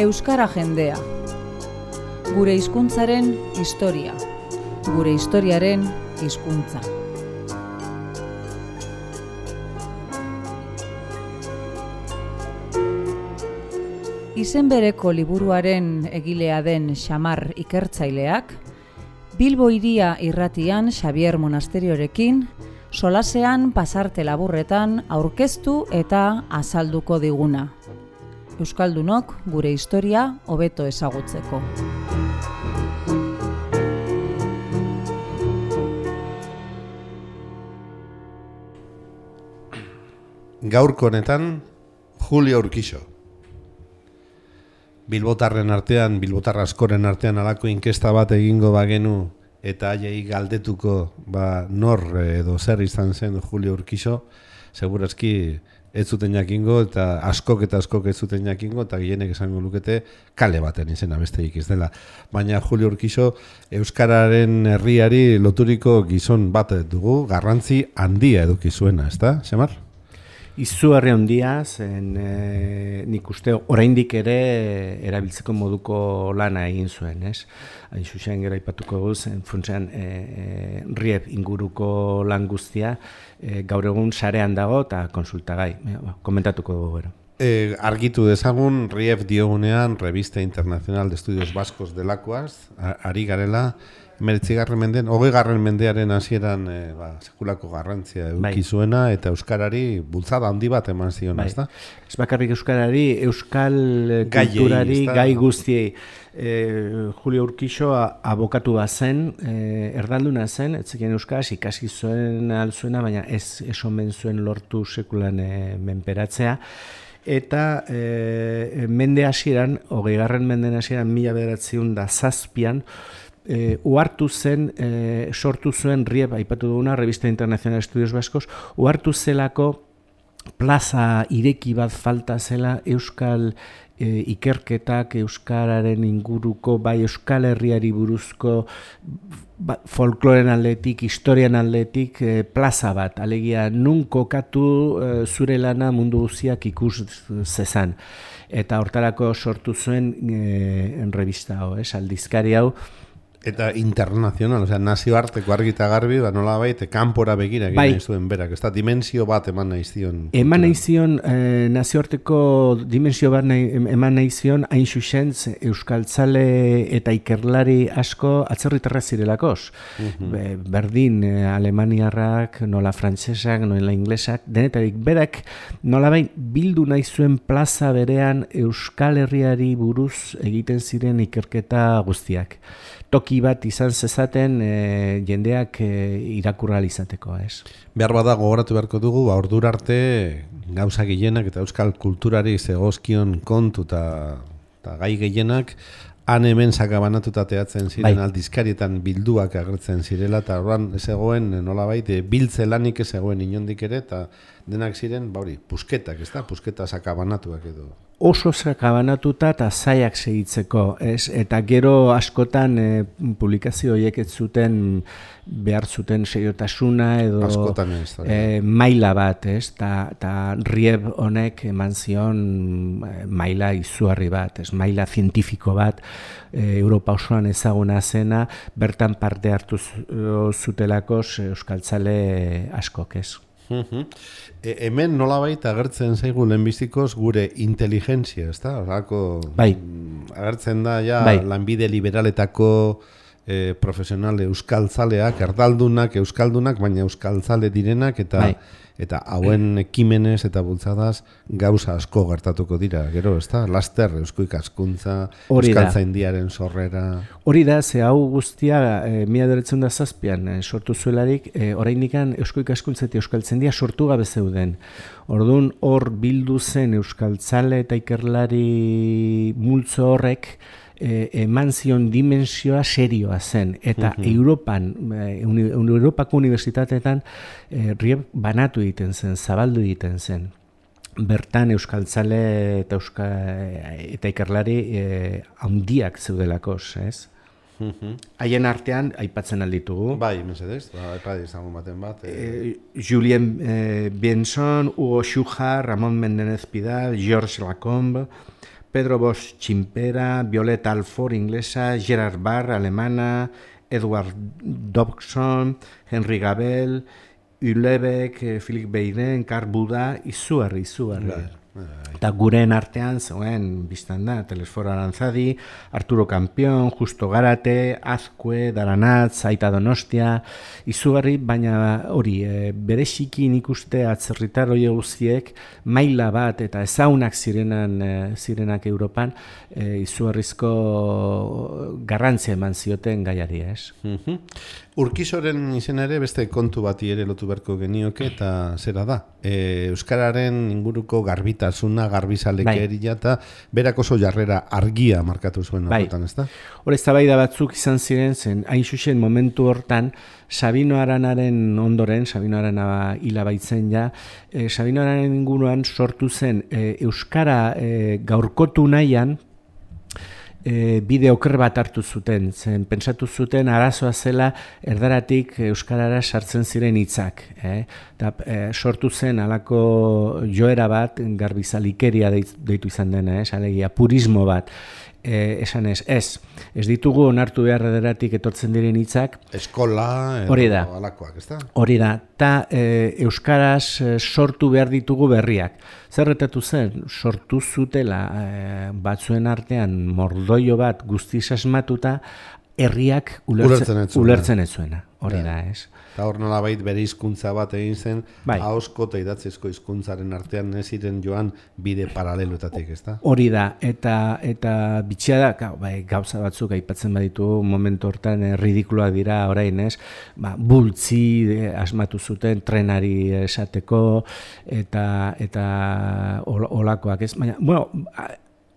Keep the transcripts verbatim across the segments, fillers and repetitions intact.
Euskara jendea. Gure hizkuntzaren historia. Gure historiaren hizkuntza. Izen bereko liburuaren egilea den Xamar ikertzaileak, Bilbo hiria irratian Xabier Monasteriorekin, solasean pasarte laburretan aurkeztu eta azalduko diguna. Euskaldunok gure historia hobeto ezagutzeko. Gaurko honetan, Julio Urquijo. Bilbotarren artean, bilbotar askoren artean halako inkesta bat egingo bagenu eta haiei galdetuko ba, nor edo zer izan zen Julio Urquijo, segurazki ez zuten jakingo eta askok eta askok ez zuten jakingo eta gehienek esango lukete kale baten izena besteik ez dela. Baina Julio Urquijo euskararen herriari loturiko gizon bat dugu, garrantzi handia eduki zuena, ezta, Xamar? Izugarri handia, zen e, nik uste oraindik ere erabiltzeko moduko lana egin zuen, ez? Hain zuzen gero aipatuko guz, funtsean e, e, Rieb inguruko lan guztia e, gaur egun sarean dago eta konsultagai. E, komentatuko dugu gero. E, argitu dezagun, Rieb diogunean, Revista Internacional de Estudios Vascos delakoaz, ari garela, hemeretzigarren mendean, hogeigarren mendearen hasieran e, ba, sekulako garrantzia eduki zuena eta euskarari bultzada handi bat eman zion, bai. Ezta? Ez bakarrik euskarari, euskal kulturari, gai, gai guztiei. E, Julio Urquijo abokatu bat zen, e, erdalduna zen, etzekien euskaraz, ikasi zuen alzuena, baina ez esomen zuen lortu sekulan e, menperatzea. Eta e, mende hasieran, hogeigarren menden hasieran, mila bederatziehun da zazpian, E, uhartu zen, e, sortu zuen Rieb, aipatu duguna, Revista Internacional de Estudios Vascos, uhartu zelako plaza ireki bat falta zela euskal e, ikerketak, euskararen inguruko, bai euskal herriari buruzko, ba, folkloren aldetik, historian aldetik, e, plaza bat, alegia nun kokatu e, zure lana mundu guztiak ikus zezan. Eta hortarako sortu zuen e, revista hau, es, aldizkari hau, eta internacional, osea, nazioarteko argi eta garbi, ba, nolabait, kanpora begira egin bai. nahi zuen berak, ez da, dimensio bat eman nahi zion. Eman nahi zion, eh, nazioarteko dimensio bat nahi, eman nahi zion, hain xuxentz, euskaltzale eta ikerlari asko atzerritarra zirelakoz. Uh-huh. Be, berdin, eh, alemaniarrak, nola frantsesak, nola inglesak, denetarik berak, nolabait bildu nahi zuen plaza berean euskal herriari buruz egiten ziren ikerketa guztiak. Toki bat izan zezaten e, jendeak e, irakurra izateko, ez? Behar bada gogoratu beharko dugu, ba, ordura arte gauza gehienak eta euskal kulturari zegozkion kontu eta gai gehienak han hemen sakabanatuta teatzen ziren, bai. Aldizkarietan bilduak agertzen zirela eta horren zegoen nolabait biltze lanik ez zegoen inondik ere eta denak ziren, ba hori, pusketak, ez da? Pusketa sakabanatuak edo. Oso sakabanatuta eta zaiak segitzeko, ez? Eta gero askotan e, publikazio horiek ez zuten behar zuten seriotasuna edo e, maila bat, ez? Ta, ta Rieb honek eman zion e, maila izugarri bat, ez? Maila zientifiko bat, e, Europa osoan ezaguna zena, bertan parte hartu zutelakos euskaltzale askok, ez? Uh-huh. E, hemen nolabait agertzen zaigu lehenbizikoz gure inteligentzia, ez da? Orako, bai. Agertzen da ja bai. lanbide liberaletako e, profesional euskaltzaleak, erdaldunak, euskaldunak, baina euskaltzale direnak eta bai. Eta hauen ekimenez eta bultzadaz gauza asko gertatuko dira, gero, ez da? Laster, eusko ikaskuntza, euskaltzaindiaren sorrera. Hori da, ze hau guztia, e, mila bederatziehun da zazpian e, sortu zuelarik, e, oraindikan eusko ikaskuntza eta euskaltzaindia sortu gabe zeuden. Orduan, hor bildu zen euskaltzale eta ikerlari multzo horrek, E, eman zion dimensioa serioa zen, eta uh-huh. Europan, e, uni, Europako unibertsitateetan e, Rieb banatu egiten zen, zabaldu egiten zen. Bertan euskaltzale eta, euska, eta ikerlari e, handiak zeudelakos, ez? Haien uh-huh. artean, aipatzen alditugu. Bai, mesedez, ba, aipat izango baten bat. E... E, Julien e, Bienson, Hugo Xujar, Ramon Mendenez Pidal, Georges Lacombe, Pedro Bosch txinpera, Violeta Alford inglesa, Gerard Barr alemana, Edward Dobson, Henry Gabel, Ulebeck, Philip Beiden, Karl Buda, izugarri, izugarri. Eta gureen artean, zegoen, biztan da, Telesforo Arantzadi, Arturo Campion, Justo Garate, Azkue, Daranatz, Aita Donostia, izugarri, baina hori, e, bereziki nik uste atzerritar hori guztiek maila bat eta ezaunak zirenan, e, zirenak Europan, e, izugarrizko garrantzia eman zioten gaiari, ez? Mhm. Urkisoren izen ere beste kontu bati ere lotu beharko genioke eta zera da. E, Euskararen inguruko garbitasuna, garbizalekeria eta berak oso jarrera argia markatu zuen horretan, ez da? Hor eztabaida batzuk izan ziren zen, hain zuzen momentu hortan, Sabino Aranaren ondoren, Sabino Arana hila baitzen ja, e, Sabino Aranaren inguruan sortu zen e, Euskara e, gaurkotu nahian, E, bide oker bat hartu zuten, zen pentsatu zuten arazoa zela erdaratik euskarara sartzen ziren hitzak, eh? Ta, e, sortu zen halako joera bat garbizalikeria deitu izan dena, eh? Alegia purismo bat. E, esan ez, ez, ez ditugu onartu behar erdaratik etortzen diren hitzak. Eskola, hori da, alakoak, ez da? Hori da, eta e, euskaraz e, sortu behar ditugu berriak. Zerretatu zen, sortu zutela e, batzuen artean mordoio bat guztiz asmatuta, herriak ulertzen, ulertzen ez zuena. Hori da, ez? Eta hor nolabait bere hizkuntza bat egin zen, bai. Ahozko eta idatzizko hizkuntzaren artean ez ziren joan bide paraleloetatik, ez da? Hori da, eta eta bitxia da, bai, gauza batzuk aipatzen baditu momentu hortan eh, ridikuloak dira orain, ez? Ba, bultzi eh, asmatu zuten trenari esateko eta eta olakoak, ez? Baina, bueno,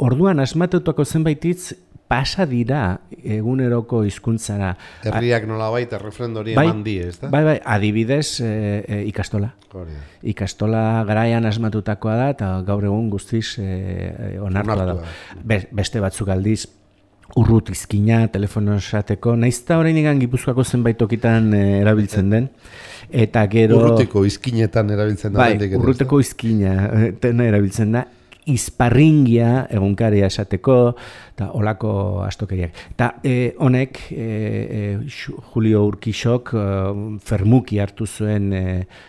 orduan asmatutako zenbait hitz pasa dira eguneroko hizkuntzara. Herriak nolabait errefrendori bai, eman die, ez da? Bai, bai, adibidez e, e, ikastola. Hori. Ikastola garaian asmatutakoa da, eta gaur egun guztiz e, onartua da. Be, beste batzuk aldiz, urrut izkina, telefono esateko, naizta orain igan Gipuzkoako zenbait tokitan e, erabiltzen den. Eta gero... Urruteko izkinetan erabiltzen da. Bai, urruteko izkina erabiltzen da. Izparringia egunkaria esateko, eta olako astokeriak. Eta e, honek, e, e, Julio Urquixok e, fermuki hartu zuen e,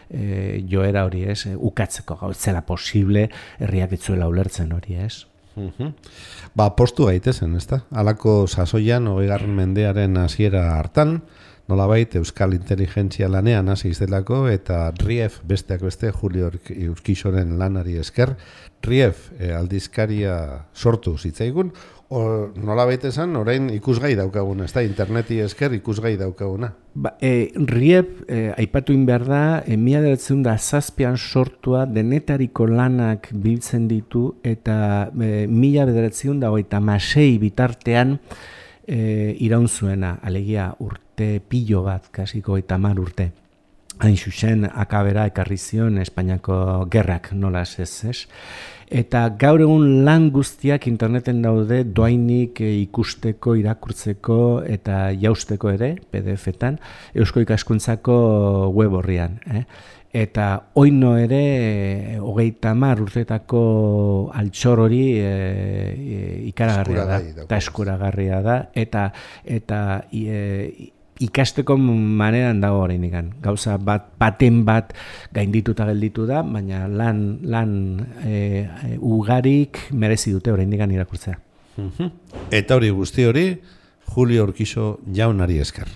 e, joera hori, ez? E, ukatzeko gau, zela posible herriak etzuela ulertzen hori, ez? Uh-huh. Ba, postu gaitezen, ez da? Halako sasoian, hogeigarren mendearen hasiera hartan, nolabait Euskal Inteligentzia lanean hasi izdelako eta Rief besteak beste Julio Urquixoren lanari esker Rief eh, aldizkaria sortu zitzaigun, nolabait esan orain ikusgai daukaguna, ez da, interneti esker ikusgai daukaguna. Ba, e, Rief e, aipatu in behar da, e, mila bederatziehun eta zazpian sortua denetariko lanak biltzen ditu eta e, mila bederatziehun eta hogeita hamasei bitartean E, iraun zuena, alegia urte pilo bat, kasiko eta mar urte. Hain zuzen, akabera ekarri zion Espainiako gerrak nolaz ez, ez? Eta gaur egun lan guztiak interneten daude doainik e, ikusteko, irakurtzeko eta jausteko ere, P D F-etan, Eusko Ikaskuntzako web horrian. Eh? Eta oino ere, hogeita hamar urtetako altxor hori e, e, ikaragarria da, eta eskuragarria da, eta, eta e, ikasteko maneran dago orain ikan. Gauza bat, baten bat gaindituta gelditu da, baina lan, lan e, e, ugarik merezi dute orain ikan irakurtzea. Eta hori guzti hori, Julio Urquixo jaunari esker.